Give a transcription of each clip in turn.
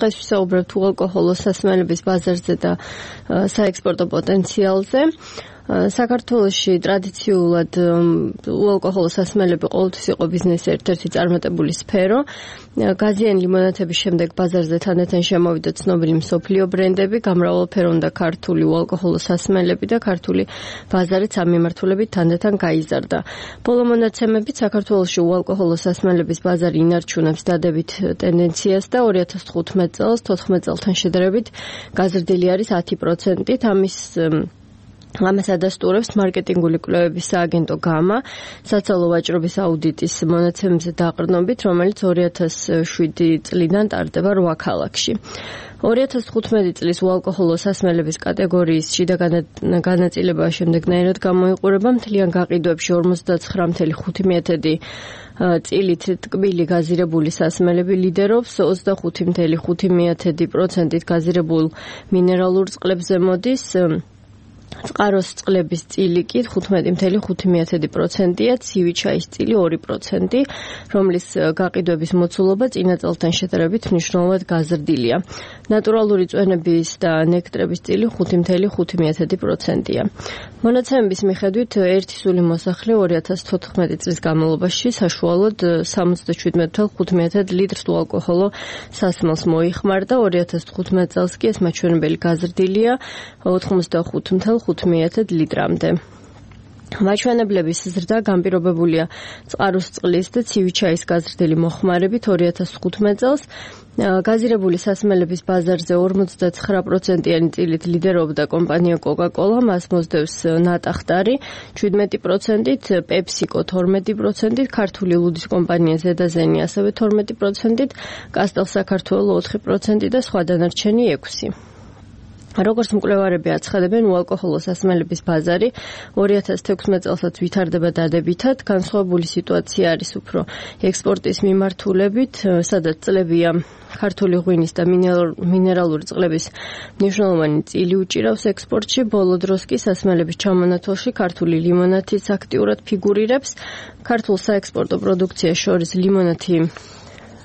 დღეს ვისაუბრებთ უალკოჰოლო სასმელების ბაზარზე და საექსპორტო პოტენციალზე. საქართველოში ტრადიციულად უალკოჰოლო სასმელები ყოველთვის იყო ბიზნესის ერთ-ერთი წარმატებული სფერო. გაზიანი ლიმონადების შემდეგ ბაზარზე თანდათან შემოვიდა ცნობილი მსოფლიო ბრენდები, გამრავალფეროვნა ქართული უალკოჰოლო სასმელები და ქართული ბაზარიც ამ მიმართულებით თანდათან გაიზარდა. ბოლო მონაცემებით საქართველოში უალკოჰოლო სასმელების ბაზარი ინარჩუნებს დადებით ტენდენციას და 2015 წელს 14 წელთან შედარებით გაზრდილი არის 10%-ით. ამას ადასტურებს მარკეტინგული კვლევების სააგენტო გამა საცალო ვაჭრობის აუდიტის მონაცემებზე დაყრდნობით, რომელიც 2007 წლიდან ტარდება 8 ქალაქში. 2015 წლის უალკოჰოლო სასმელების კატეგორიის შიდა განაწილება შემდეგნაირად გამოიყურება. მთლიან გაყიდვებში 59.5% წილით ტკბილი გაზირებული სასმელები ლიდერობს, 25.5%-ით გაზირებულ მინერალურ წყლებზე მოდის. წყაროს წყლების წილი კი 15.5%-ია, ცივი ჩაის წილი 2%, რომლის გაყიდვების მოცულობა წინა წელთან შედარებით მნიშვნელოვნად გაზრდილია. ნატურალური წვენების და ნექტრების წილი 5.5%-ია. მონაცემების მიხედვით ერთი სული მოსახლე 2014 წლის განმავლობაში საშუალოდ 77.5 litrს უალკოჰოლო სასმელს მოიხმარდა, 2015 წელს კი ეს მაჩვენებელი გაზრდილია 85.5 ლიტრამდე. მაჩვენებლების ზრდა განპირობებულია წყაროს წყლის და ცივი ჩაის გაზრდილი მოხმარებით 2015 წელს. გაზირებული სასმელების ბაზარზე 59%-იანი წილით ლიდერობდა კომპანია Coca-Cola, მას მოსდევს ნატახტარი 17%-ით, PepsiCo 12%-ით, ქართული ლუდის კომპანია ზედაზენი ასევე 12%-ით, კასტელ საქართველო 4% და სხვა დანარჩენი 6%. როგორც მკვლევარები აცხადებენ, უალკოჰოლო სასმელების ბაზარი 2016 წელსაც ვითარდება დადებითად. განსხვავებული სიტუაცია არის უფრო ექსპორტის მიმართულებით, სადაც წლებია ქართული ღვინის და მინერალური წყლების მნიშვნელოვანი წილი უჭირავს ექსპორტში. ბოლო დროს კი სასმელების ჩამონათვალში ქართული ლიმონათიც აქტიურად ფიგურირებს. ქართულ საექსპორტო პროდუქციას შორის ლიმონათი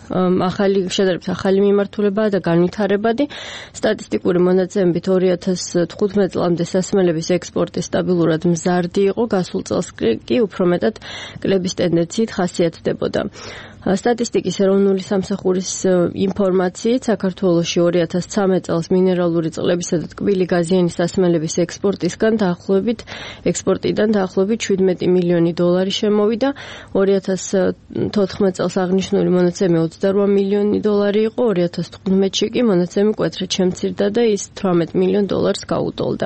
შედარებით ახალი მიმართულებაა და განვითარებადი. სტატისტიკური მონაცემებით 2015 წლამდე სასმელების ექსპორტი სტაბილურად მზარდი იყო, გასულ წელს კი უფრო მეტად კლების ტენდენციით ხასიათდებოდა. სტატისტიკის ეროვნული სამსახურის ინფორმაციით საქართველოში 2013 წელს მინერალური წყლებისა და ტკბილი გაზიანი სასმელების ექსპორტიდან დაახლოებით 17 მილიონი დოლარი შემოვიდა. 2014 წელს აღნიშნული მონაცემი 28 მილიონი დოლარი იყო, 2015-ში კი მონაცემი მკვეთრად შემცირდა და ის 18 მილიონ დოლარს გაუტოლდა.